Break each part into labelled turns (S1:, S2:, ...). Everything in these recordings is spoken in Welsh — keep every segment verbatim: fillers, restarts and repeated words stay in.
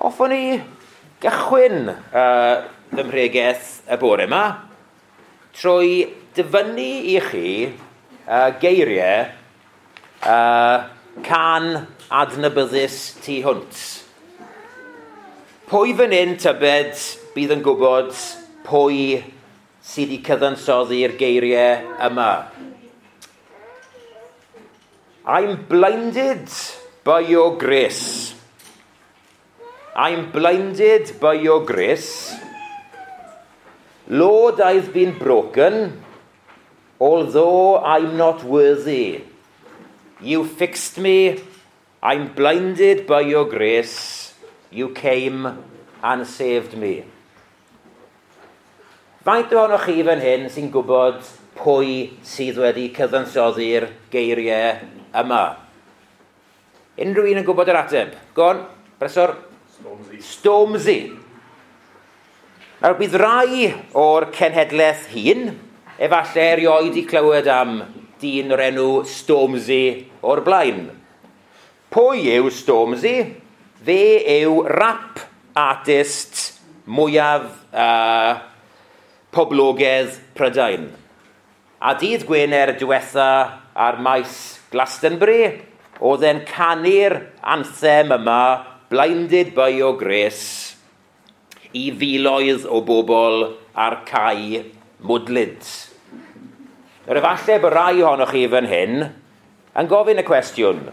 S1: Hoffwn i gychwyn uh, fy mhregeth y bore yma trwy dyfynnu i chi uh, geiriau uh, cân adnabyddus tu hwnt. Pwy fan hyn tybed bydd yn gwybod pwy sydd wedi cyfansoddi'r geiriau yma? I'm blinded by your grace. I'm blinded by your grace. Lord, I've been broken, although I'm not worthy. You fixed me. I'm blinded by your grace. You came and saved me. Faint ohonoch chi fan hyn sy'n gwybod pwy sydd wedi cyfansoddi'r geiriau yma? Unrhyw un yn gwybod yr ateb? Go on, Bresor?
S2: Stormzy.
S1: Stormzy. Nawr, bydd rai o'r cenhedlaeth hyn, efallai erioed 'di clywed am dyn o'r enw Stormzy o'r blaen. Pwy yw Stormzy? Fe yw rap artist mwyaf uh, poblogaidd Prydain. A dydd Gwener diwetha ar maes Glastonbury, oedd e'n canu'r anthem yma, Blinded by Your Grace, i filoedd o bobl ar cae mwdlyd. Nawr efallai bod rai ohonoch chi fan hyn yn gofyn y cwestiwn,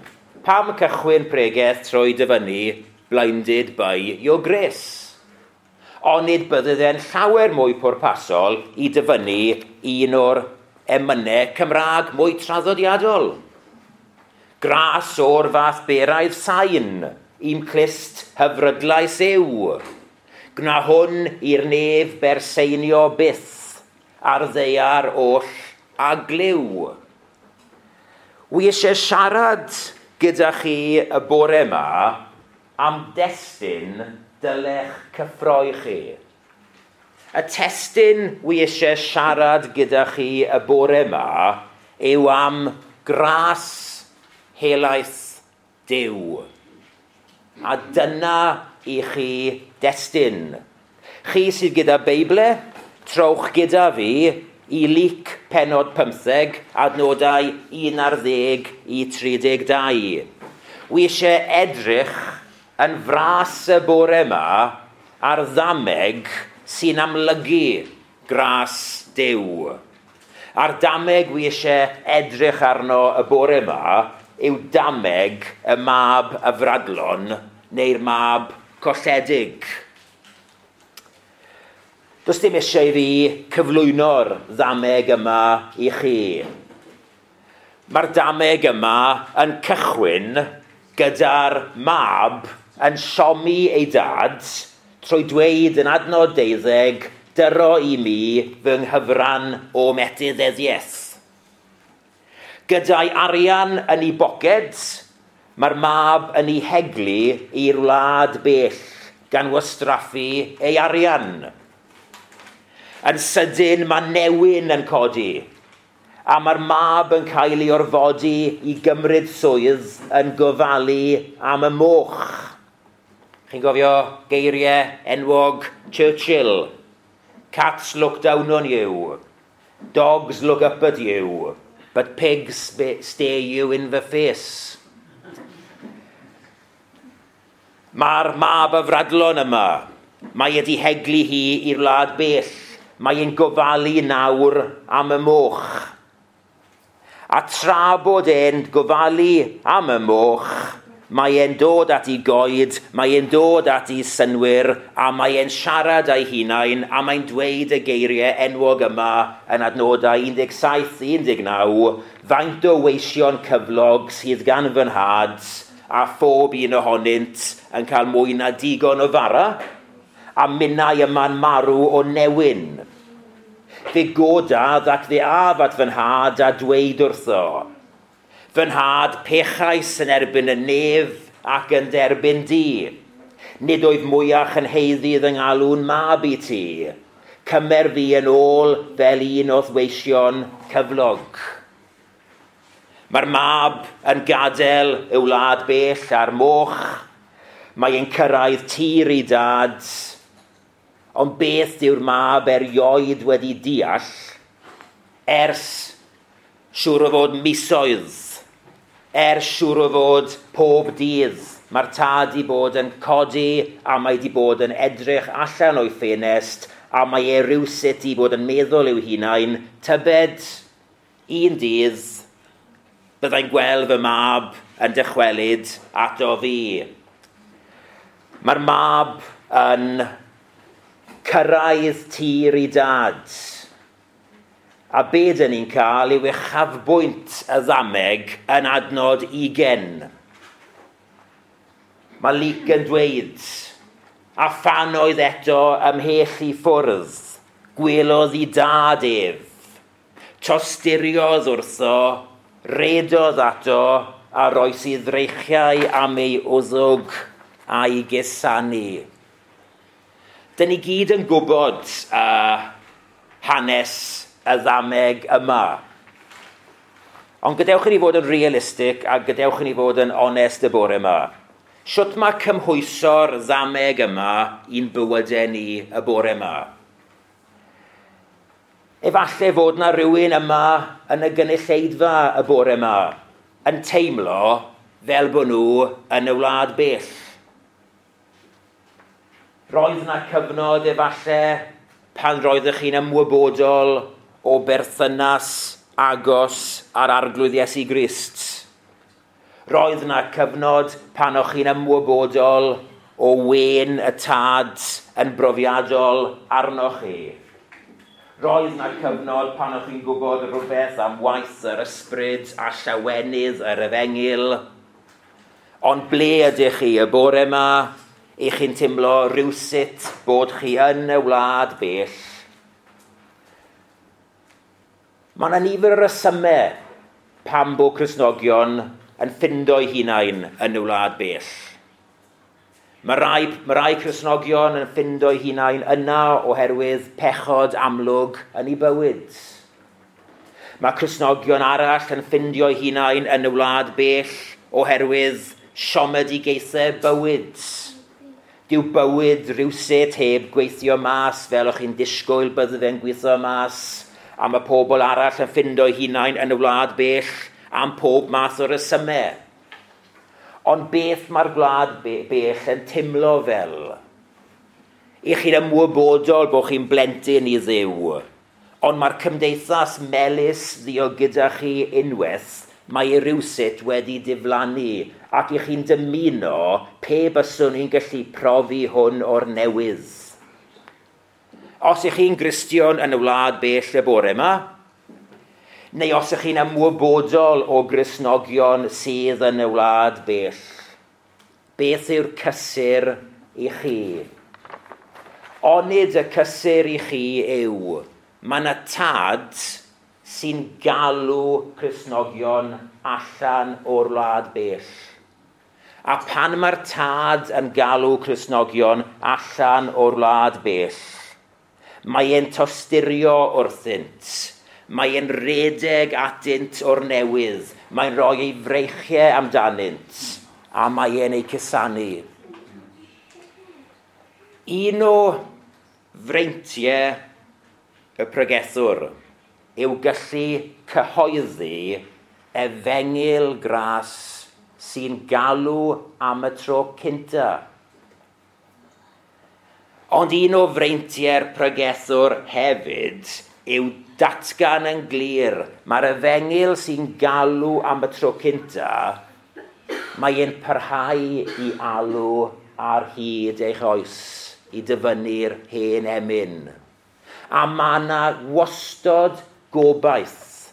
S1: pam cychwyn pregeth trwy dyfynnu Blinded by Your Grace? Onid bydde fe'n llawer mwy pwrpasol i dyfynnu un o'r emynau Cymraeg mwy traddodiadol. Gras o'r fath beraidd sain, i'm clust hyfrydlais yw. Gwna hwn i'r nef berseinio byth, ar ddaear oll a glyw. Wi eisiau siarad gyda chi y bore yma am destun dylech cyffroi chi. Y testun wi eisiau siarad gyda chi y bore yma yw am gras helaeth Duw. A dyna i chi destun. Chi sydd gyda Beible, trowch gyda fi i Luc pennod pymtheg, adnodau un ar ddeg i tri deg dau. Wi eisiau edrych yn fras y bore yma ar ddameg sy'n amlygu gras Duw. A'r dameg wi eisiau edrych arno y bore yma yw dameg y mab afradlon neu'r mab colledig. Does dim eisiau i fi cyflwyno'r ddameg yma i chi. Mae'r dameg yma yn cychwyn gyda'r mab yn siomi ei dad trwy dweud yn adnod deuddeg, dyro i mi fy nghyfran o etifeddiaeth. Gyda'i arian yn ei boced, mae'r mab yn ei heglu i'r wlad bell gan wastraffu ei arian. Yn sydyn mae newyn yn codi, a mae'r mab yn cael ei orfodi i gymryd swydd yn gofalu am y moch. Chi'n gofio geiriau enwog Churchill? Cats look down on you, dogs look up at you, but pigs stare you in the face. Mae'r mab afradlon yma, mae wedi heglu hi i'r wlad bell, mae e'n gofalu nawr am y moch. A tra bod e'n gofalu am y moch, mae e'n dod at ei goed, mae e'n dod at ei synwyr, a mae e'n siarad â'i hunain, a mae'n dweud y geiriau enwog yma yn adnodau un deg saith i un deg naw, faint o weision cyflog sydd gan fy nhad, a phob un ohonynt yn cael mwy na digon o fara, a minnau yma'n marw o newyn. Fe godaf ac fe af at fy nhad a dweud wrtho, fy nhad, pechais yn erbyn y nef ac yn derbyn di. Nid oedd mwyach yn haeddu fy ngalw'n mab i ti. Cymer fi yn ôl fel un o'th weision cyflog. Mae'r mab yn gadael y wlad bell a'r moch. Mae e'n cyrraedd tir ei dad, ond beth dyw'r mab erioed wedi deall ers siŵr o fod misoedd, ers siŵr o fod pob dydd. Mae'r tad i bod yn codi a mae di bod yn edrych allan o'i ffenest a mae e rywsut i bod yn meddwl i'w hunain, tybed un dydd byddai'n gweld fy mab yn dychwelyd ato fi. Mae'r mab yn cyrraedd tir ei dad. A be dyn ni'n cael yw uchafbwynt y ddameg yn adnod ugain. Mae Luc yn dweud, a phan oedd eto ymhell i ffwrdd, gwelodd ei dad ef. Tosturiodd wrtho, redodd ato, a roes ei ddreichiau am ei wddwg a'i gusanu. Dyn ni gyd yn gwybod uh, hanes y ddameg yma. Ond gadewch i ni fod yn realistig a gadewch i ni fod yn onest y bore yma. Shwt mae cymhwyso'r ddameg yma i'n bywydau ni y bore yma? Efallai fod na rhywun yma yn y gynulleidfa y bore yma yn teimlo fel bod nhw yn y wlad bell. Roedd na cyfnod efallai pan roeddech chi'n ymwybodol o berthynas agos â'r Arglwydd Iesu Grist. Roedd na cyfnod pan o'ch chi'n ymwybodol o wên y tad yn brofiadol arnoch chi. Roedd na cyfnod pan o'ch chi'n gwybod rhywbeth am waith yr ysbryd a llawenydd yr efengyl. Ond ble ydych chi y bore yma? Ych chi'n teimlo rywsut bod chi yn y wlad bell? Mae yna nifer o resymau pam bod Cristnogion yn ffindo'u hunain yn y wlad bell. Mae rai, mae rai Cristnogion yn ffindo'u hunain yna oherwydd pechod amlwg yn eu bywyd. Mae Cristnogion arall yn ffindio'u hunain yn y wlad bell oherwydd siomedigaethau bywyd. Dyw bywyd rywsut heb gweithio mas fel o'ch chi'n disgwyl bydde fe'n gweithio mas, a mae pobl arall yn ffindo'u hunain yn y wlad bell am pob math o resymau. Ond beth mae'r gwlad bell yn teimlo fel? Ych chi'n ymwybodol bod chi'n blentyn i Dduw, ond mae'r cymdeithas melys ddio gyda chi unwaith, mae e rywsut wedi diflannu, ac ych chi'n dymuno pe byswn i'n gallu profi hwn o'r newydd. Os ych chi'n Gristion yn y wlad bell y bore yma, neu os ych chi'n ymwybodol o Gristnogion sydd yn y wlad bell, beth yw'r cysur i chi? Onid y cysur i chi yw, mae yna tad sy'n galw Cristnogion allan o'r wlad bell. A pan mae'r tad yn galw Cristnogion allan o'r wlad bell, mae e'n tosturio wrthynt, mae e'n redeg atynt o'r newydd, mae'n rhoi ei freichiau amdanynt, a mae e'n eu cusanu. Un o freintiau y pregethwr yw gallu cyhoeddi efengyl gras sy'n galw am y tro cynta. Ond un o freintiau'r pregethwr hefyd yw datgan yn glir. Mae'r efengyl sy'n galw am y tro cynta, mae e'n parhau i alw ar hyd eich oes i dyfynnu'r hen emyn. A mae yna wastod gobaith.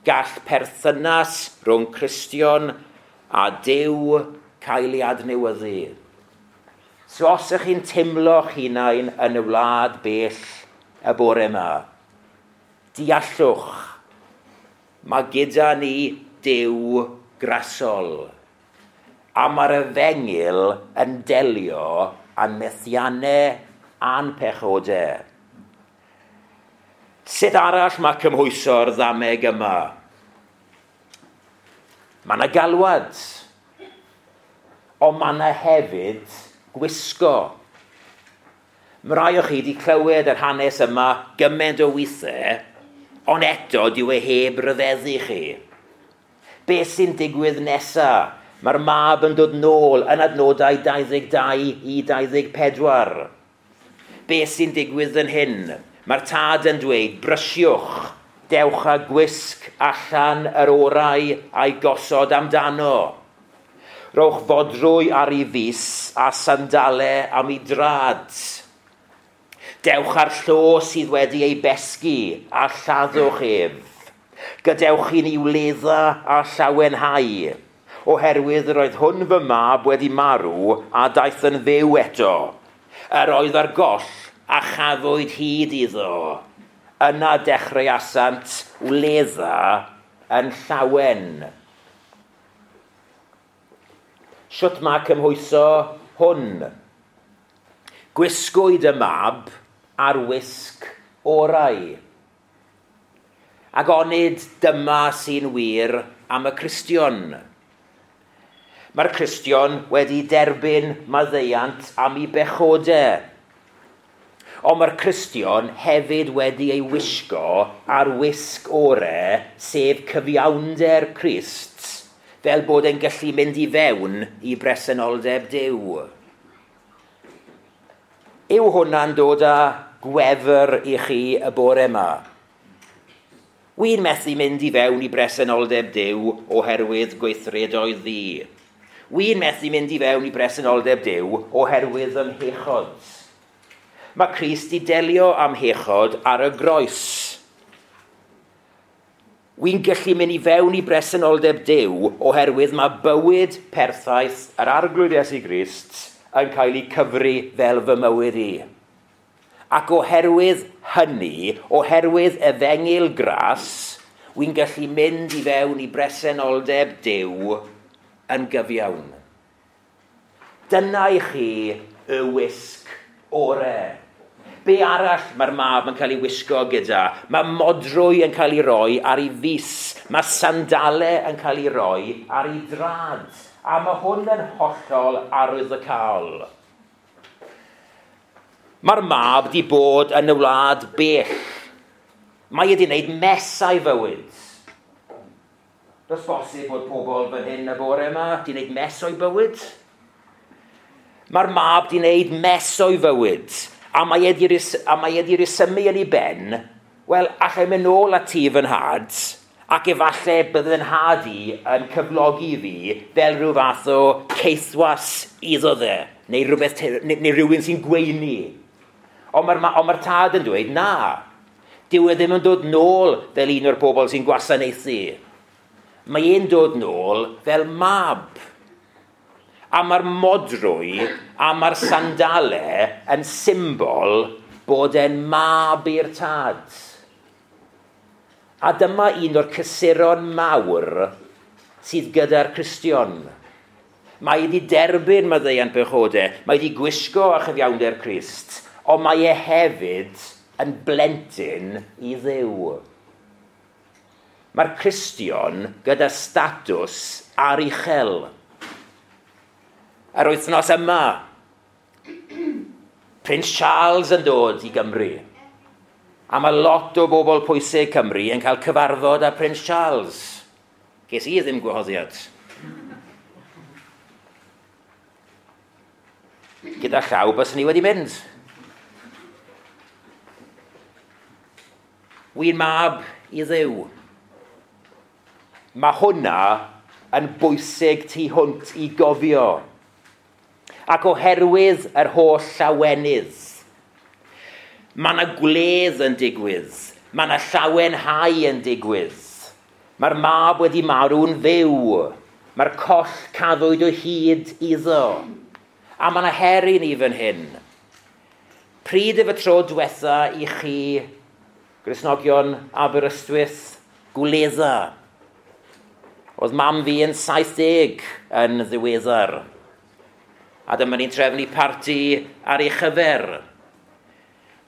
S1: Gall perthynas rhwng Cristion a Duw cael ei adnewyddu. So os ych chi'n teimlo'ch hunain yn y wlad bell y bore yma, deallwch, mae gyda ni Duw grasol. A mae'r efengyl yn delio â'n methiannau a'n pechodau. Sut arall mae cymhwyso'r ddameg yma? Mae yna galwad. Ond mae yna hefyd gwisgo. Mae rai o chi wedi clywed yr hanes yma gymaint o weithiau, ond eto dyw e heb ryfeddu chi. Beth sy'n digwydd nesaf? Mae'r mab yn dod nôl yn adnodau dau ddeg dau i dau ddeg pedwar. Beth sy'n digwydd yn hyn? Mae'r tad yn dweud, brysiwch, dewch â gwisg allan yr orau a'i gosod amdano. Rowch fodrwy ar ei fys a sandalau am ei drad. Dewch â'r llo sydd wedi ei besgu a lladdwch ef. Gadewch i ni wledda a llawenhau, oherwydd yr oedd hwn fy mab wedi marw a daeth yn fyw eto. Yr oedd ar goll a chafwyd hyd iddo. Yna dechreuasant wledda yn llawen. Shwt mae cymhwyso hwn? Gwisgwyd y mab ar wisg orau. Ac onid dyma sy'n wir am y Cristion. Mae'r Cristion wedi derbyn maddeuant am ei bechodau. Ond mae'r Cristion hefyd wedi ei wisgo ar wisg orau, sef cyfiawnder Crist, fel bod e'n gallu mynd i fewn i bresenoldeb Duw. Yw hwnna'n dod â gwefr i chi y bore yma? Wy'n methu mynd i fewn i bresenoldeb Duw oherwydd gweithredoedd ddi. Wy'n methu mynd i fewn i bresenoldeb Duw oherwydd fy mhechod. Mae Crist i delio am hechod ar y groes. Wy'n gallu mynd i fewn i bresenoldeb Duw oherwydd mae bywyd perffaith yr Arglwydd Iesu Grist yn cael ei cyfri fel fy mywyd i. Ac oherwydd hynny, oherwydd efengyl gras, wy'n gallu mynd i fewn i bresenoldeb Duw yn gyfiawn. Dyna i chi y wisg orau. Be arall mae'r mab yn cael ei wisgo gyda? Mae modrwy yn cael ei roi ar ei fys. Mae sandalau yn cael ei roi ar ei drad. A mae hwn yn hollol arwyddocaol. Mae'r mab di bod yn y wlad bell. Mae wedi wneud mess o'i fywyd. Does bosib bod pobl fan hyn y bore yma di wneud mess o'i bywyd? Mae'r mab di wneud mess o'i fywyd. A mae wedi rhesymu yn ei ben, wel, allai mynd nôl at ti fy nhad, ac efallai bydd fy nhad i yn cyflogi fi fel rhyw fath o caethwas iddo dde, neu, rhywbeth, neu, neu rhywun sy'n gweini. Ond mae'r ond mae'r tad yn dweud, na, dyw e ddim yn dod nôl fel un o'r bobl sy'n gwasanaethu. Mae e'n dod nôl fel mab. A mae'r modrwy a mae'r sandalau yn symbol bod e'n mab i'r tad. A dyma un o'r cysuron mawr sydd gyda'r Cristion. Mae wedi derbyn maddeuant pechodau, mae wedi gwisgo â chyfiawnder Crist, ond mae e hefyd yn blentyn i Dduw. Mae'r Cristion gyda statws aruchel. Yr wythnos yma, Prince Charles yn dod i Gymru. A mae lot o bobl pwysig Cymru yn cael cyfarfod â Prince Charles. Ges i ddim gwahoddiad. Gyda llaw byswn i wedi mynd. Wy'n mab i Dduw. Mae hwnna yn bwysig tu hwnt i gofio. Ac oherwydd yr holl llawenydd, mae yna gwledd yn digwydd, mae yna llawenhau yn digwydd. Mae'r mab wedi marw'n fyw, mae'r coll cafwyd o hyd iddo. A mae yna her i ni fan hyn. Pryd yw y tro diwetha i chi, Gristnogion Aberystwyth, gwledda? Oedd mam fi yn saith deg yn ddiweddar. A dyma ni'n trefnu parti ar ei chyfer.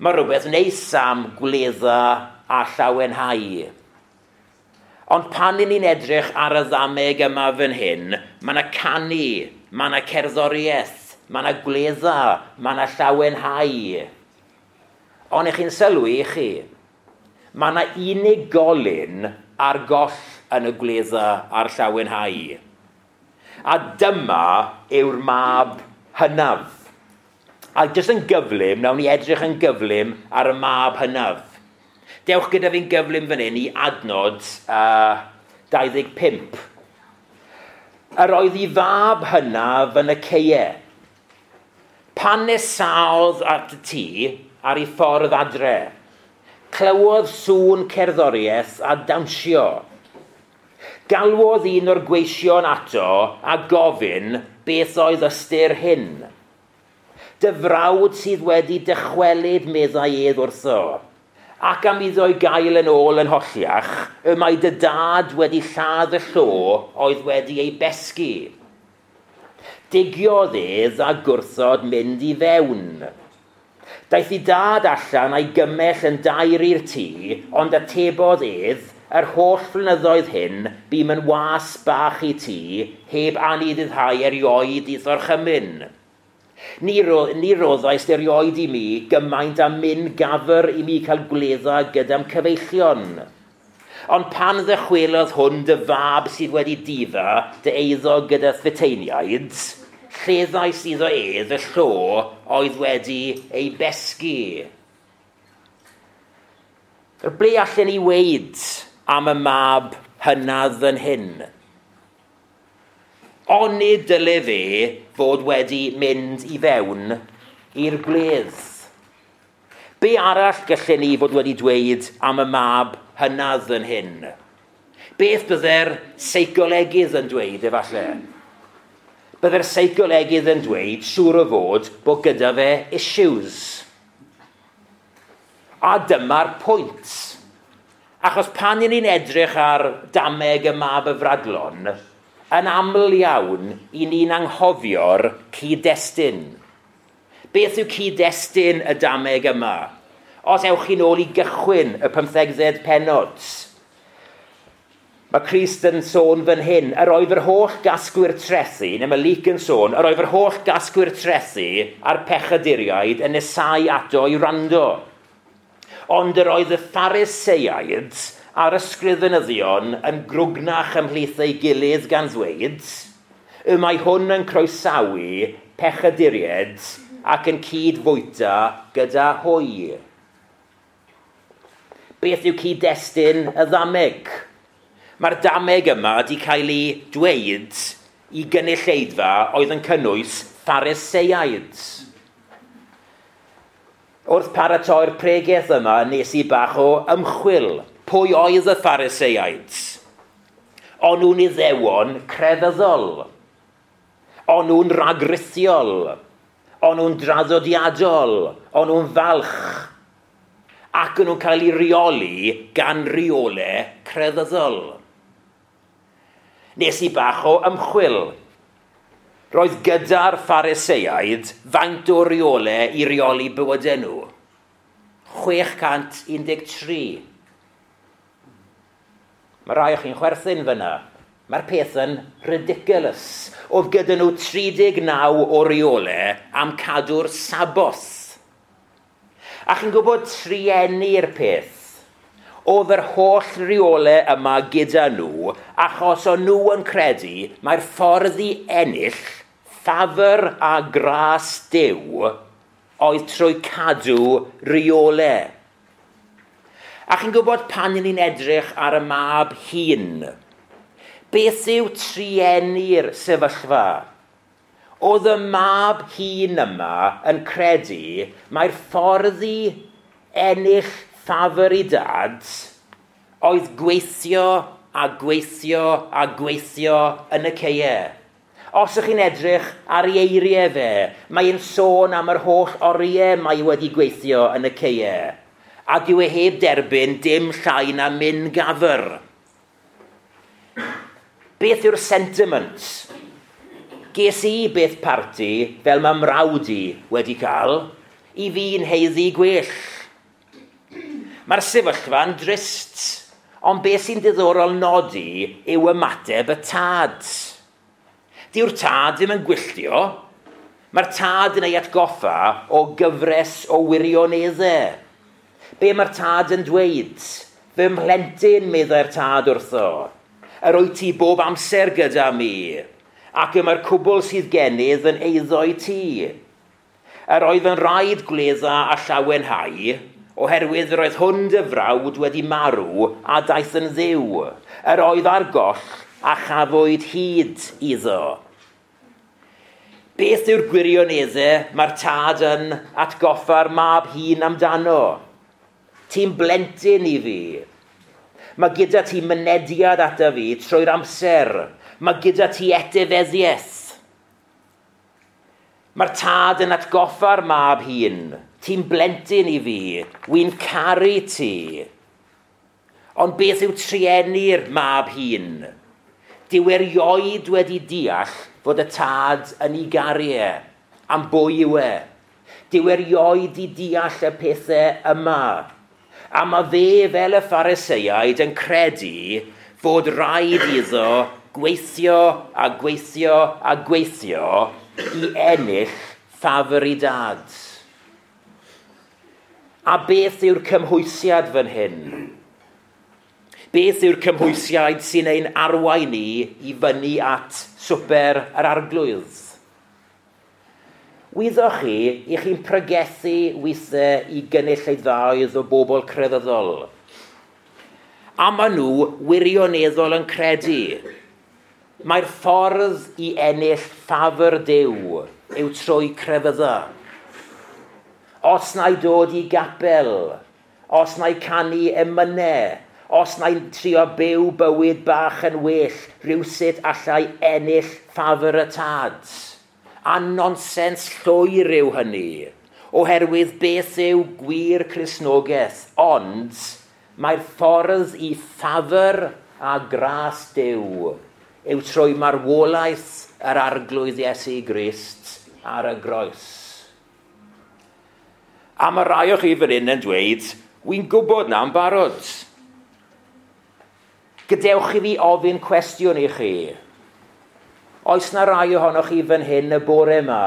S1: Mae rhywbeth neis am gwledda a llawenhau. Ond pan ni'n edrych ar y ddameg yma fan hyn, mae yna canu, Mae yna cerddoriaeth, mae yna gwledda, mae yna llawenhau. Ond ych chi'n sylwi i chi, mae yna unigolyn ar goll yn y gwledda a'r llawenhau. A dyma yw'r mab hynaf. A jyst yn gyflym, nawn ni edrych yn gyflym ar y mab hynaf. Dewch gyda fi'n gyflym fan hyn i adnod uh, dau ddeg pump. Yr oedd ei fab hynaf yn y ceie. Pan nesaodd at y tŷ ar ei ffordd adre, clywodd sŵn cerddoriaeth a dawnsio. Galwodd un o'r gweision ato a gofyn beth oedd ystyr hyn. Dy frawd sydd wedi dychwelyd, meddai ef wrtho, ac am iddo ei gael yn ôl yn holliach, y mae dy dad wedi lladd y llo oedd wedi ei besgu. Digiodd ef a gwrthod mynd i fewn. Daeth ei dad allan a'i gymell yn dair i'r tŷ, ond atebodd ef, yr holl flynyddoedd hyn, bûm yn was bach i ti, heb anufuddhau erioed i'th orchymyn. Ni, ro, ni roddaist erioed i mi gymaint a myn gafr i mi cael gwledda gyda'm cyfeillion. Ond pan ddychwelodd hwn dy fab sydd wedi difa dy eiddo gyda phuteiniaid, lleddais iddo ef y llo oedd wedi ei besgu. Ble allan ni weud am y mab hynaf yn hyn? Onid dyle fe fod wedi mynd i fewn i'r gwledd? Be arall gallen ni fod wedi dweud am y mab hynaf yn hyn? Beth bydde'r seicolegydd yn dweud efallai? Bydde'r seicolegydd yn dweud, siŵr o fod, bod gyda fe issues. A dyma'r pwynt. Achos pan y'n ni'n edrych ar dameg y mab y fradlon, yn aml iawn i ni'n anghofio'r cyd-destun. Beth yw cyd-destun y dameg yma? Os ewch chi'n ôl i gychwyn y pymthegfed pennod, mae Crist yn sôn fan hyn, yr oedd yr holl gasgwyr trethi, neu mae Luc yn sôn, yr oedd yr holl gasgwyr trethi a'r pechaduriaid yn nesau ato i wrando. Ond yr oedd y Phariseiaid a'r ysgrifenyddion yn grwgnach ymhlith ei gilydd gan ddweud, y mae hwn yn croesawu pechaduriaid ac yn cyd-fwyta gyda hwy. Beth yw cyd-destun y ddameg? Mae'r dameg yma wedi cael ei dweud i gynulleidfa oedd yn cynnwys Phariseiaid. Wrth paratoi'r pregeth yma, nes i bach o ymchwil. Pwy oedd y Phariseiaid? O'n nhw'n iddewon crefyddol. O'n nhw'n ragrithiol. O'n nhw'n draddodiadol. O'n nhw'n falch. Ac o'n nhw'n cael ei reoli gan reolau crefyddol. Nes i bach o ymchwil. Roedd gyda'r Phariseiaid faint o reolau i reoli bywydau nhw? chwech cant un deg tri. Mae rai o chi'n chwerthin fyna. Mae'r peth yn ridiculous. Oedd gyda nhw tri deg naw o reolau am cadw'r Saboth. A chi'n gwybod trueni'r peth. Oedd yr holl reolau yma gyda nhw, achos o'n nhw yn credu mae'r ffordd i ennill ffafr a gras Duw oedd trwy cadw reolau. A chi'n gwybod pan ni'n edrych ar y mab hyn, beth yw trueni'r sefyllfa? Oedd y mab hyn yma yn credu mae'r ffordd i ennill ffafr i dad oedd gweithio a gweithio a gweithio yn y ceie. Os ych chi'n edrych ar ei eiriau fe, mae'n sôn am yr holl oriau mae wedi gweithio yn y ceie. A dyw e heb derbyn dim llai na myn gafr. Beth yw'r sentiment? Ges i beth parti fel mae mrawd i wedi cael, i fi'n haeddu gwell. Mae'r sefyllfa'n drist, ond beth sy'n diddorol nodi yw ymateb y tad. Dyw'r tad ddim yn gwylltio. Mae'r tad yn ei atgoffa o gyfres o wirioneddau. Be mae'r tad yn dweud? Fy mhlentyn, meddai'r tad wrtho. Yr wyt ti bob amser gyda mi, ac y mae'r cwbl sydd gennyf yn eiddo i ti. Yr oedd yn rhaid gwledda a llawenhau, oherwydd yr oedd hwn dy frawd wedi marw a daeth yn ddiw. Yr oedd ar goll a chafwyd hyd iddo. Beth yw'r gwirioneddau mae'r tad yn atgoffa'r mab hŷn amdano? Ti'n blentyn i fi. Mae gyda ti mynediad ata fi trwy'r amser. Mae gyda ti etifeddiaeth. Mae'r tad yn atgoffa'r mab hŷn. Ti'n blentyn i fi. Wy'n caru ti. Ond beth yw trueni'r mab hŷn? Dyw erioed wedi deall fod y tad yn ei garu e, am bwy yw e. Dyw erioed i deall y pethau yma. A mae fe fel y Phariseiaid yn credu fod rhaid iddo gweithio a gweithio a gweithio i ennill ffafr i dad. A beth yw'r cymhwysiad fan hyn? Beth yw'r cymhwysiad sy'n ein arwain ni i fyny at swper yr arglwydd? Wyddoch chi, i chi'n pregethu weithiau i gynulleidfaoedd o bobl crefyddol. A maen nhw wirioneddol yn credu. Mae'r ffordd i ennill ffafr Duw yw trwy crefydda. Os na i dod i gapel, os na i canu emynau, os na i'n trio byw bywyd bach yn well, rhywsut allai ennill ffafr y tad. A nonsens llwyr yw hynny, oherwydd beth yw gwir Cristnogaeth, ond mae'r ffordd i ffafr a gras Duw yw trwy marwolaeth yr arglwydd Iesu Grist ar y groes. A mae rai o chi fan hyn yn dweud, wy'n gwybod na'n barod. Gadewch i fi ofyn cwestiwn i chi. Oes na rai ohonoch chi fan hyn y bore yma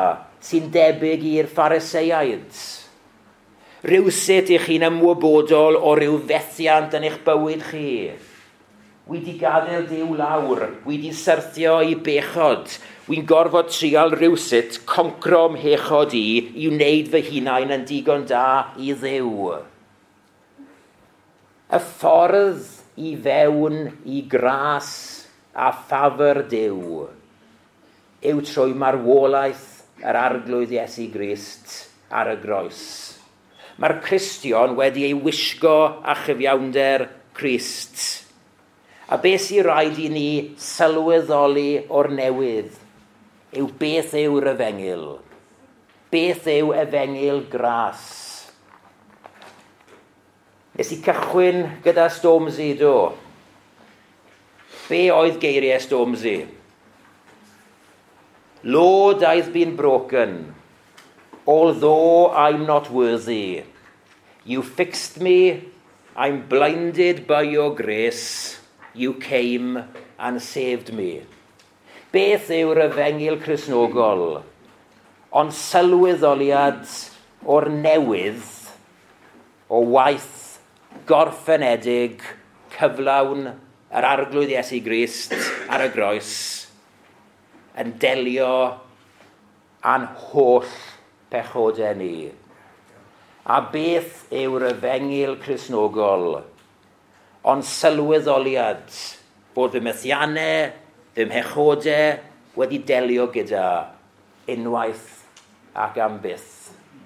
S1: sy'n debyg i'r Phariseiaid? Rhywsut i chi'n ymwybodol o ryw fethiant yn eich bywyd chi? Wi di gadael Duw lawr, wi di syrthio i bechod. Wi'n gorfod trial rhywsut concro mhechod i i wneud fy hunain yn digon da i Dduw. Y ffordd i fewn i gras a ffafr Duw yw trwy marwolaeth yr arglwydd Iesu Grist ar y groes. Mae'r Cristion wedi ei wisgo â chyfiawnder Crist. A beth sy'n rhaid i ni sylweddoli o'r newydd yw beth yw'r efengyl. Beth yw efengyl gras? Nes i cychwyn gyda Stormzy, do. Be oedd geiriau Stormzy? Lord, I've been broken, although I'm not worthy. You fixed me, I'm blinded by your grace. You came and saved me. Beth yw'r efengyl Cristnogol? Ond sylweddoliad o'r newydd o waith gorffenedig cyflawn yr arglwydd Iesu Grist ar y groes yn delio â'n holl pechodau ni. A beth yw'r efengyl Cristnogol? Ond sylweddoliad bod fy methiannau, fy mhechodau wedi delio gyda unwaith ac am byth.